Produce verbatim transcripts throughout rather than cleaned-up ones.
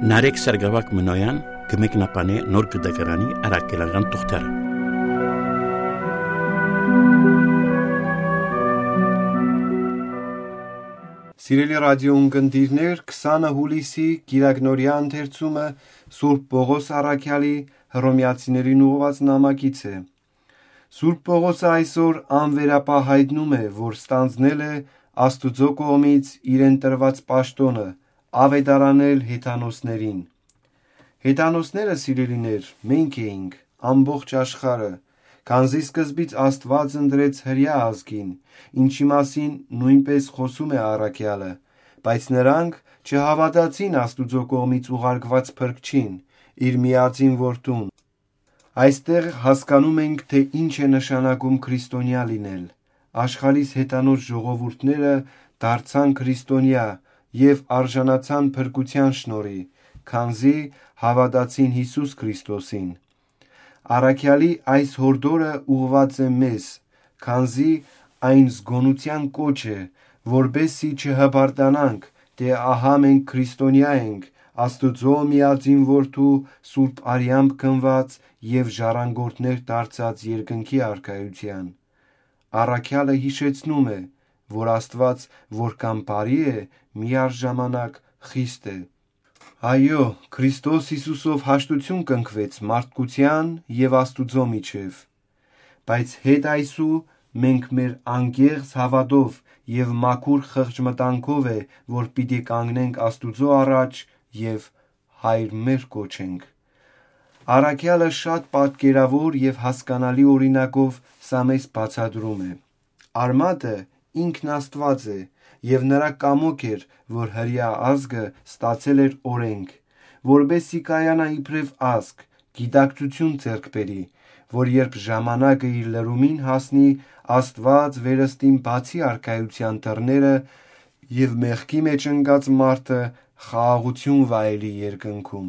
Նարեկ Սարգսակ Մնոյան կը մեկնաբանէ Նոր Կտակարանի առաքելական թուղթերը։ Սիրելի ռադիոյ ունկնդիրներ, քսանը յուլիսի կիրակնօրեայ ընթերցումը Սուրբ Պողոս առաքեալի Հռոմեացիներին ուղղուած նամակից է։ Սուրբ Պողոսը այսօր անվերապահ յայտնում է, որ ստանձնել է Աստուծոյ կողմից իրեն տրուած պաշտօնը՝ աւետարանել հեթանոսներին։ Հեթանոսները, սիրելիներ, մենք էինք, ամբողջ աշխարհը, քանզի սկզբից Աստուած ընտրեց հրեայ ազգին, ինչի մասին նոյնպէս խօսում է առաքեալը, բայց նրանք չհաւատացին Աստուծոյ կողմից ուղարկուած փրկչին, իր միածին որդուն։ Այստեղ հասկանում ենք, թէ ինչ է նշանակում քրիստոնեայ լինել։ Աշխարհիս հեթանոս ժողովուրդները դարձան քրիստոնեայ եւ արժանացան փրկութեան շնորհի, քանզի հաւատացին Յիսուս Քրիստոսին։ Առաքեալի այս յորդորը ուղղուած է մեզ, քանզի այն զգոնութեան կոչ է, որպեսզի չհպարտանանք, թէ ահա մենք քրիստոնեայ ենք, Աստուծոյ միածին որդու սուրբ արեամբ գնուած եւ ժառանգորդներ դարձած երկնքի արքայութեան։ Առաքեալը յիշեցնում է, որ Աստուած որքան բարի է, միառժամանակ խիստ է։ Այո, Քրիստոս Յիսուսով հաշտութիւն կնքուեց մարդկութեան եւ Աստուծոյ միջեւ։ Բայց հետ այսու մենք մեր անկեղծ հաւատով եւ մաքուր խղճմտանքով է, որ պիտի կանգնենք Աստուծոյ առաջ եւ Հայր մեր կոչենք։ Առաքեալը շատ պատկերաւոր եւ հասկանալի օրինակով սա մեզ բացատրում է։ Արմատը ինքն Աստուած է եւ նրա կամոք էր, որ հրեայ ազգը ստացել էր օրենք, որպեսզի կայանայ իբրեւ ազգ, գիտակցութիւն ձեռք բերի, որ երբ ժամանակը իր լրումին հասնի, Աստուած վերստին բացի արքայութեան դռները եւ մեղքի մեջ ընկած մարդը խաղաղութիւն վայելի երկնքում։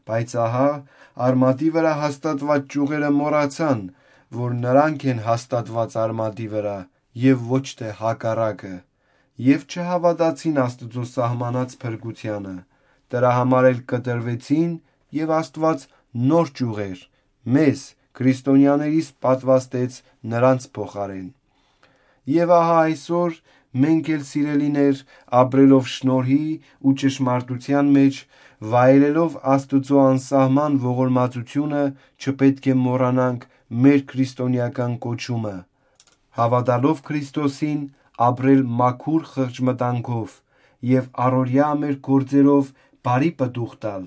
Բայց ահա, արմատի վրայ հաստատուած ճյուղերը մոռացան, որ նրանք են հաստատուած արմատի վրայ եւ ոչ թէ հակառակը, եւ չհաւատացին Աստուծոյ սահմանած փրկութեանը, դրա համար էլ կտրուեցին եւ Աստուած նոր ճյուղեր, մեզ, քրիստոնեաներիս պատուաստեց նրանց փոխարէն։ Եւ ահա այսօր մենք էլ, սիրելիներ, ապրելով շնորհի ու ճշմարտութեան մեջ, վայելելով Աստուծոյ անսահման ողորմածութիւնը, չպետք է մոռանանք մեր քրիստոնեական կոչումը, հաւատալով Քրիստոսին, ապրել մաքուր խղճմտանքով եւ առօրեայ մեր գործերով բարի պտուղ տալ,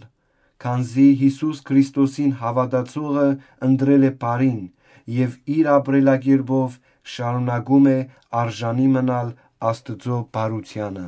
քանզի Յիսուս Քրիստոսին հաւատացողը ընտրել է բարին եւ իր ապրելակերպով շարունակում է արժանի մնալ Աստուծոյ բարութեանը։